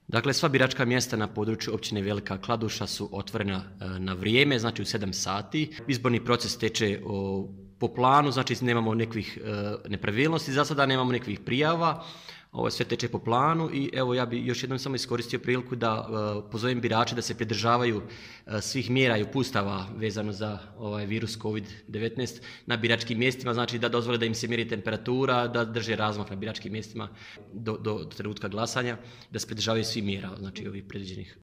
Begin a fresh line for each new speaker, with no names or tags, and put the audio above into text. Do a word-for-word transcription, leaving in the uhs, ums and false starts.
Dakle, sva biračka mjesta na području općine Velika Kladuša su otvorena na vrijeme, znači u sedam sati. Izborni proces teče po planu, znači nemamo nekih nepravilnosti, za sada nemamo nekih prijava. Ovo sve teče po planu i evo ja bih još jednom samo iskoristio priliku da pozovem birače da se pridržavaju svih mjera i uputstava vezano za ovaj virus kovid devetnaest na biračkim mjestima, znači da dozvole da im se mjeri temperatura, da drže razmak na biračkim mjestima do, do trenutka glasanja, da se pridržavaju svih mjera, znači ovih predviđenih.